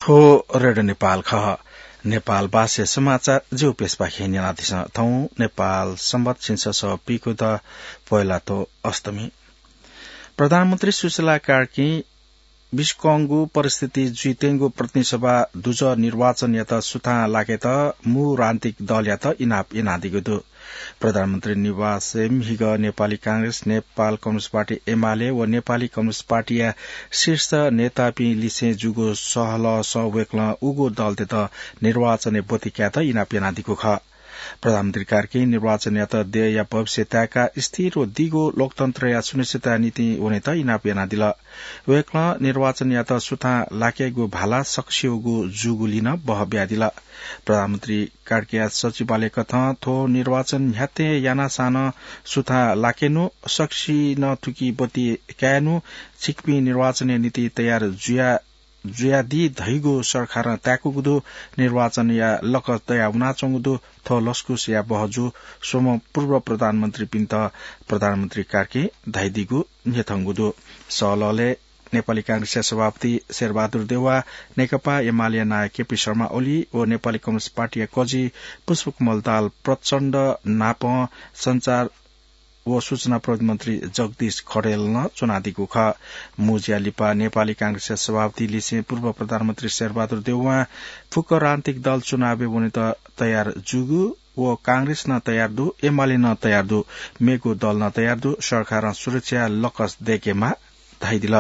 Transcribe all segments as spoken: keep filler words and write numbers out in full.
थ्व रेडियो नेपाल खः। नेपाल भाषा समाचार ज्यू पेशपाखें न्यनादिसँ। थौं नेपाल संवत छिंसः सः पीखुद पोहेलाथ्व अष्टमी। प्रधानमन्त्री सुशीला कार्कीं बिस्कंगु परिस्थिति जुइत्यंगु प्रतिनिधि सभा दुजः निर्वाचनयात सुथां लाकेत मू राजनीतिक दलयात इनाप यानादीगु दु। प्रधानमन्त्री निवासय् म्हिगः नेपाली कांग्रेस, नेपाल कम्युनिस्ट पार्टी एमाले व नेपाली कम्युनिस्ट पार्टीया शीर्ष नेतापिं लिसें जूगु सहलहसं वय्कलं उगु दलतय्त निर्वाचनय् ब्वति कायेत इनाप यानादीगु खः। प्रधानमन्त्री कार्कीं निर्वाचनयात देय्‌या भविष्य ताय्‌काः स्थिर व दीगु लोकतन्त्रया सुनिश्चितता निंतिं वनेत इनाप यानादिल। वय्कलं निर्वाचनयात सुथां लाकेगु भाला सकसियागु जूगुलिं नं बहः बियादिल। प्रधानमन्त्री कार्कीया सचिवालय कथं थ्व निर्वाचन न्ह्याथे यानासां नं सुथां लाकेनु, सकसिनं थुकी ब्वति कायेनु, छिकपिं निर्वाचनया निंतिं तयार जुया जुयादी धइगु सरकारं ताय्‌कूगु दु। निर्वाचनया लकस दया वनाच्वंगु दु। थ्व लसकुसया बहःजू स्वम्ह पूर्व प्रधानमन्त्रीपिन्त प्रधानमन्त्री कार्कीं धयादीगु न्ह्यथंगु दु। सहलहलय् नेपाली कांग्रेसया सभापति शेरबहादुर देउवा, नेकपा एमालेया नायः केपी शर्मा ओली व नेपाली कम्युनिस्ट पार्टीया कजि पुष्पकमल दाहाल प्रचण्ड नापं सञ्चार व सूचना प्रविधि मन्त्री जगदीश खड्गील नं च्वनादीगु खः। मू ज्या लिपा नेपाली कांग्रेसया सभापति लिसें पूर्व प्रधानमन्त्री शेरबहादुर देउवां फुक्क राजनीतिक दल चुनावय् वनेत तयार जूगु व कांग्रेस नं तयार दु, एमाले नं तयार दु, मेगु दल नं तयार दु, सरकारं सुरक्षा लकस दय्‌केमाः धयादिल।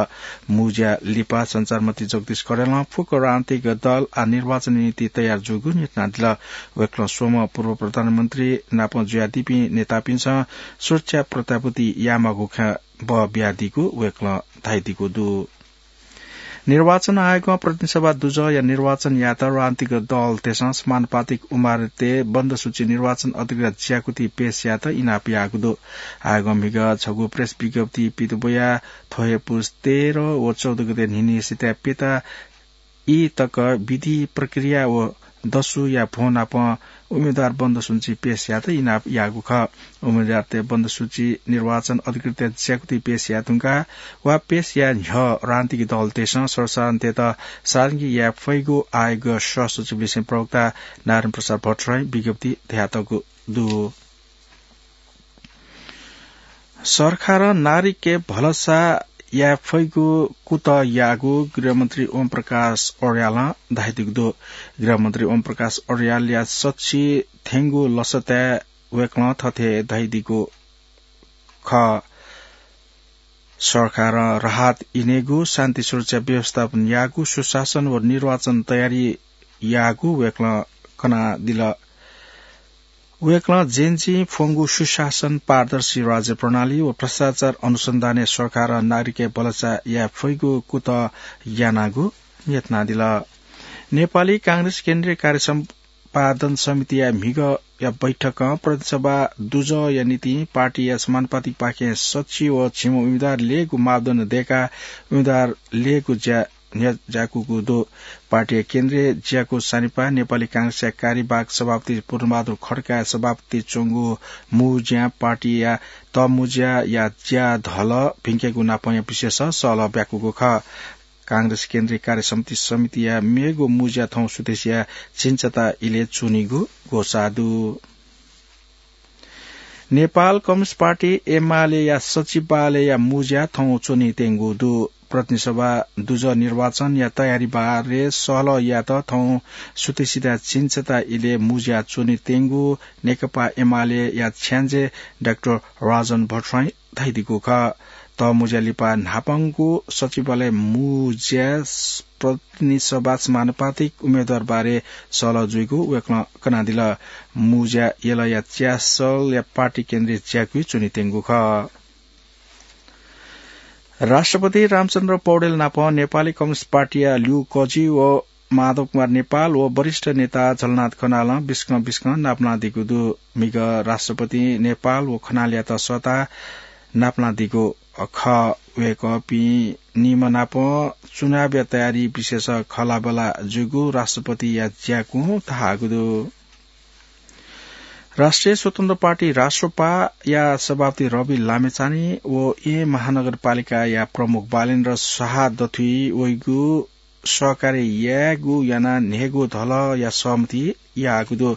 मू ज्या लिपा सञ्चार मन्त्री जगदीश खड्गीलं फुक्क राजनीतिक दल आः निर्वाचनया निंतिं तयार जूगु न्ह्यथनादिल। वय्कलं स्वम्ह पूर्व प्रधानमन्त्री नाप जुयादीपिं नेतापिन्सं सुरक्षा प्रत्याभूति यायेमाःगु खँ बहः बियादीगु वय्कलं धयादीगु दु। निर्वाचन आयोगं प्रतिनिधि सभा दुजःया निर्वाचनयात राजनीतिक दलतय्सं समानुपातिक उम्मेदवारतय् बन्द सूची निर्वाचन अधिकृतयात ज्याकुथि पेश यायेत इनाप याःगु दु। आयोगं म्हिगः छगू प्रेस विज्ञप्ति पित ब्वयाः थ्व हे पुस तेह्र व चौध गते न्हिन्हिसितय् प्यता ई तक विधि प्रक्रिया व दसुया भ्वं नाप उम्मेदवार बन्द सूची पेश यायेत इनाप याःगु खः। उम्मेदवारतय् बन्द सूची निर्वाचन अधिकृतयात ज्याकुथि पेश याये धुंकाः वा पेश याये न्ह्यः राजनीतिक दलतय्सं सर्वसाधारणतय्त सार्वजनिक याये फइगु आयोगया सहसचिवलिसें प्रवक्ता नारायण प्रसाद भट्टराईं विज्ञप्ति धयातःगु दु। सरकारं नागरिकतय् भलसा याये फइगु कुतः याःगु गृहमन्त्री ओम प्रकाश अर्यालं धयादीगु दु। गृहमन्त्री ओम प्रकाश अर्यालया सच्छि थ्यंगु लसताय् वय्कलं थथे धयादीगु खः। सरकारं राहत इनेगु, शान्ति सुरक्षा व्यवस्थापन याःगु, सुशासन व निर्वाचन तयारी याःगु वय्कलं कनादिल। वय्कलं जेनजीं फ्वंगु सुशासन, पारदर्शी राज्य प्रणाली व भ्रष्टाचार अनुसन्धानय् सरकारं नागरिकतय् भलसा याये फइगु कुतः यानागु न्ह्यथनादिल। नेपाली कांग्रेस केन्द्रीय कार्य सम्पादन समितिया म्हिगःया बैठकं प्रतिनिधि सभा दुजःया निंतिं पार्टीया समानुपातिकपाखें सच्छि व झिम्ह उम्मेदवार ल्ययेगु मापदण्ड दय्काः उम्मेदवार ल्ययेगु ज्या न्ह्यज्याकूगु दु। पार्टीया केन्द्रीय ज्याकू सानिपा नेपाली कांग्रेसया कार्यवाहक सभापति पूर्णबहादुर खड्काया सभापतित्वय् च्वंगु मू ज्यां पार्टीया तःमुँज्याया ज्या धलः भिंकेगु नापंया विषयस सहलह ब्याकूगु खः। कांग्रेस केन्द्रीय कार्य समिति समितिया मेगु मू ज्या थौं सुथसिया झिंछता इलय् च्वनीगु ग्वसाः दु। नेपाल कम्युनिस्ट पार्टी एमालेया सचिवालयया मू ज्या थौं च्वनीत्यंगु दु। प्रतिनिधि सभा दुजः निर्वाचनया तयारी बारे सहलह यायेत थौं सुथसिया झिंछता इलय् मू ज्या च्वनीत्यंगु नेकपा एमालेया छ्याञ्जे डाक्टर राजन भट्टराईं धयादीगु खः। तःमुँज्या लिपा न्हापांगु सचिवालय मू ज्या प्रतिनिधि सभा समानुपातिक उम्मेदवार बारे सहलह जुइगु वय्कलं कनादिल। मू ज्या यलया च्यासलया पार्टी केन्द्रीय ज्याकुइ च्वनीत्यंगु खः। राष्ट्रपति रामचन्द्र पौडेल नाप नेपाली कम्युनिस्ट पार्टीया ल्यू कजि व माधव कुमार नेपाल व वरिष्ठ नेता झलनाथ खनालं बिस्कं बिस्कं नापलानादीगु दु। म्हिगः राष्ट्रपतिं नेपाल व खनालयात सःताः नापलानादीगु खः। वय्कःपिं निम्ह नाप चुनावया तयारी विषयस खँल्हाबल्हा जूगु राष्ट्रपतिया ज्याकुं धाःगु दु। राष्ट्रिय स्वतन्त्र पार्टी राष्ट्रपाया सभापति रवि लामिछाने व येँ महानगरपालिकाया प्रमुख बालेन्द्र शाह दथुइ वइगु सहकार्य यायेगु यानाः न्हय्गू धलःया सहमति याःगु दु।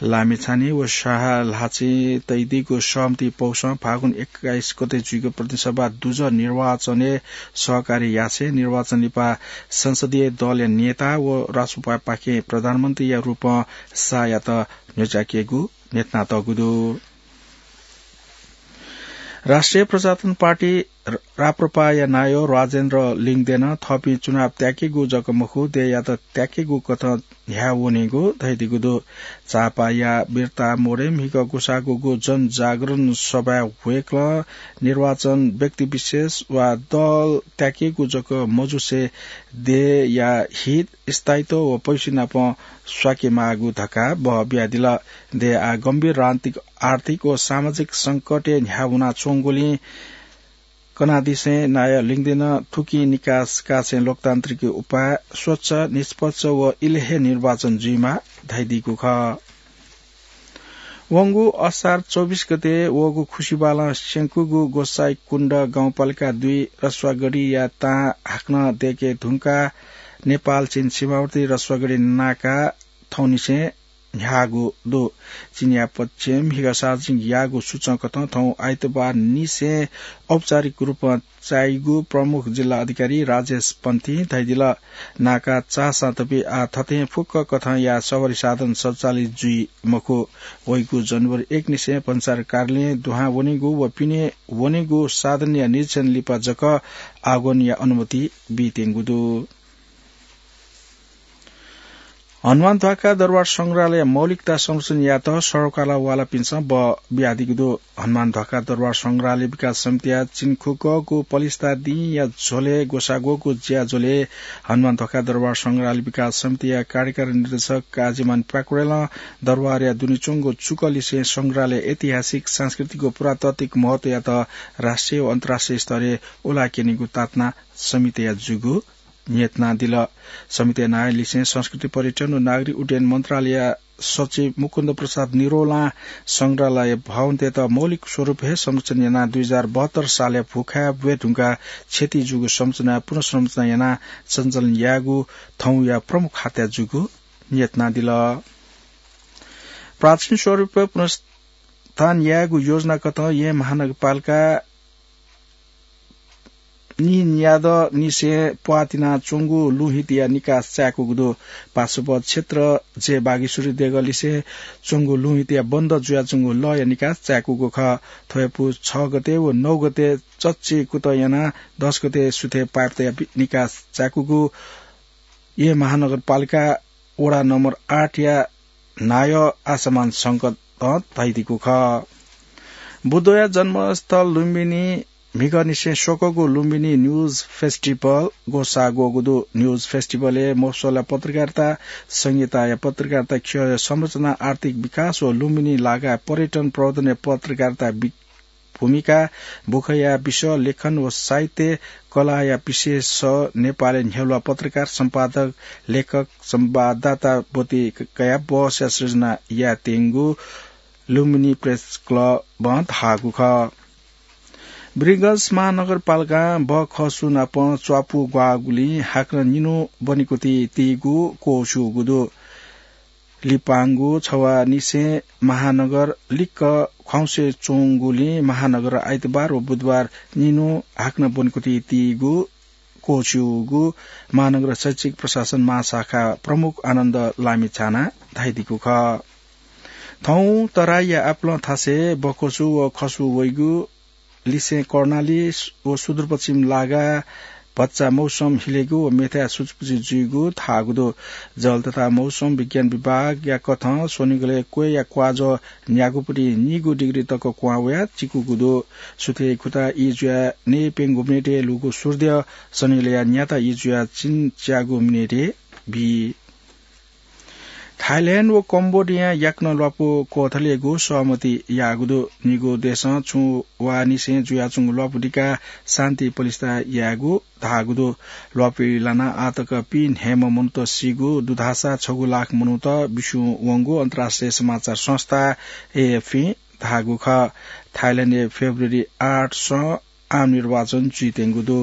लामिछाने व साहा ल्हाचे तइदीगु सहमति पौसं फागुन एक्काइस गते जुइगु प्रतिनिधि सभा दुजः निर्वाचनय् सहकार्य यासें निर्वाचन लिपा संसदीय दलया नेता व राष्ट्रपतिपाखें प्रधानमन्त्रीया रूपं शाहयात न्ह्यचाकेगु न्ह्यथनातःगु दु। राष्ट्रिय प्रजातन्त्र पार्टी र-, राप्रपाया नायः राजेन्द्र लिङदेनं थःपिं चुनाव त्याकेगु जक मखु, देय्‌यात त्याकेगु कथं न्ह्याः वनेगु धयादीगु दु। चापाया बिर्ता मोडय् म्हिगः ग्वसाः ग्वःगु जनजागरण सभाय् वय्‌कलं निर्वाचन व्यक्तिविशेष वा दल त्याकेगु जक मजुसे देय्‌या हित, स्थायित्व व पैसा नाप स्वाकेमाःगु धकाः बः बियादिल। देय् आः गम्भीर राजनीतिक, आर्थिक व सामाजिक संकटय् न्ह्याः वनाच्वंगुलिं कनादिसें नायः लिङदेनं थुकिं निकास कासें लोकतान्त्रिक उपाय, स्वच्छ, निष्पक्ष व इलय् हे निर्वाचन जुइमाः धयादीगु खः। वंगु असार चौबिस गते वःगु खुसिबालं स्यंकूगु गोसाइँकुण्ड गाउँपालिका दुई रसुवागढीया तां हाकनं दय्‌के धुंकाः नेपाल चीन सीमावर्ती रसुवागढी नाका थौंनिसें न्ह्याःगु दु। चीनया पक्षं म्हिगः सार्वजनिक याःगु सूचंकथं थौं आइतबार निसें औपचारिक रूपं चाइगु प्रमुख जिल्ला अधिकारी राजेश पन्थीं धयादिल। नाका चाःसां तपि आः थथें फुक्क कथंया सवारी साधन सञ्चालित जुइ मखु। वइगु जनवरी एक निसें भन्सार कार्यालयं दुहां वनेगु व पिने वनेगु साधनया निरीक्षण लिपा जक आगमनया अनुमति बीत्यंगु दु। हनुमान ध्वाखा दरबार संग्रहालय मौलिकता संरक्षण यायेत सरकारवालापिन्सं बः बियादीगु दु। हनुमान ध्वाखा दरबार संग्रहालय विकास समितिया चिन्खुकःगु पलिस्था दिंया झ्वलय् ग्वसाः ग्वःगु ज्याझ्वलय् हनुमान ध्वाखा दरबार संग्रहालय विकास समितिया कार्यकारी निर्देशक काजीमान प्याकुरेलं दरबारया दुने च्वंगु चुकलिसें संग्रहालय ऐतिहासिक, सांस्कृतिक व पुरातात्विक महत्वयात राष्ट्रिय व अन्तर्राष्ट्रिय स्तरय् उलाक्यनेगु तातना समितिया जूगु न्ह्यथनादिल। समितिया नायःलिसें संस्कृति, पर्यटन व नागरिक उड्डयन मन्त्रालयया सचिव मुकुन्द प्रसाद निरौलां संग्रहालय भवनतय्‌त मौलिक स्वरूप हे संरक्षण यानाः दुई हजार बहत्तर सालया भूकम्पय् ब्वये धुंकाः क्षति जूगु संरचना पुनर्संरचना यानाः सञ्चालन यायेगु थौंया प्रमुख हात्या जूगु न्ह्यथनादिल। प्राचीन स्वरूप पुनर्स्थान यायेगु योजनाकथं येँ महानगरपालिका नीन्यादँनिसें प्वाः तिनाच्वंगु लुँहितया निकास चाय्‌कूगु दु। पार्श्व क्षेत्र जे बागेश्वरी देगःलिसें च्वंगु लुँहितया बन्द जुयाच्वंगु लःया निकास चाय्‌कूगु खः। थ्व हे पुस छ गते व नौ गते चच्चि कुतः यानाः दस गते सुथय् पाइप तयाः निकास चाय्‌कूगु येँ महानगरपालिका वडा नम्बर आठया नायः आशामान शंकरं धयादीगु खः। बुद्धया जन्मस्थल लुम्बिनी म्हिगःनिसें स्वकःगु लुम्बिनी न्युज फेस्टिभल ग्वसाः ग्वःगु दु। न्युज फेस्टिभलय् मफसलया पत्रकारिता, संहिताया पत्रकारिता, ख्यःया संरचना, आर्थिक विकास व लुम्बिनी लागाय् पर्यटन प्रवर्धनया पत्रकारिता वि-, भूमिका, बुखँया विषय, लेखन व साहित्य, कलाया विशेष, नेपालय् न्ह्यलुवा पत्रकार, सम्पादक, लेखक, संवाददाता ब्वति क-, कयाः बहसया सृजना यायेत्यंगु लुम्बिनी प्रेस क्लबं धाःगु खः। वीरगंज महानगरपालिकां बखसु नाप च्वापु ग्वाःगुलिं हाकनं निन्हु ब्वनेकुथि तीगु क्वःछिउगु दु। लिपांगु छवानिसें महानगर लिक्क ख्वाउँसे च्वंगुलिं महानगर आइतबार व बुधबार निन्हु हाकनं ब्वनेकुथि तीगु क्वःछिउगु महानगर शैक्षिक प्रशासन महाशाखा प्रमुख आनन्द लामिछानां धयादीगु खः। थौं तराईया आपालं थासय् बखसु व खसु वइगु लिसें कर्णाली व सुदूरपश्चिम लागाय् भचा मौसम हिलेगु व मेथाय् सुचुपुचु जुइगु धाःगु दु। जल तथा मौसम विज्ञान विभागया कथं स्वनिगलय् क्वय्‌या क्वाजः न्यागूपट्टि निगू डिग्री तक क्वहां वयाः चिकूगु दु। सुथय् खुता ई जुयाः नयेप्यंगू मिनेटय् लुगु सूर्य, स्वनिगलया न्याता ई जुयाः चिन्च्यागू मिनेटय् बी। थाइल्याण्ड व कम्बोडियां याकनं ल्वापु क्वथलेगु सहमति याःगु दु। निगू देशं छुं वा निसें जुयाच्वंगु ल्वापु दिकाः शान्ति पलिस्था यायेगु धाःगु दु। ल्वापुइ लानाः आःतक पीन्हय्म्ह मनूत सीगु दु धाःसा छगू लाख मनूत बिस्युं वंगु अन्तर्राष्ट्रिय समाचार संस्था एएफपीं धाःगु खः। थाइल्याण्डय् फेब्रुअरी आठसं आम निर्वाचन जुइत्यंगु दु।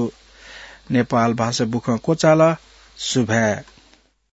नेपाल भाषा बुखँ क्वचाल। सुभाय्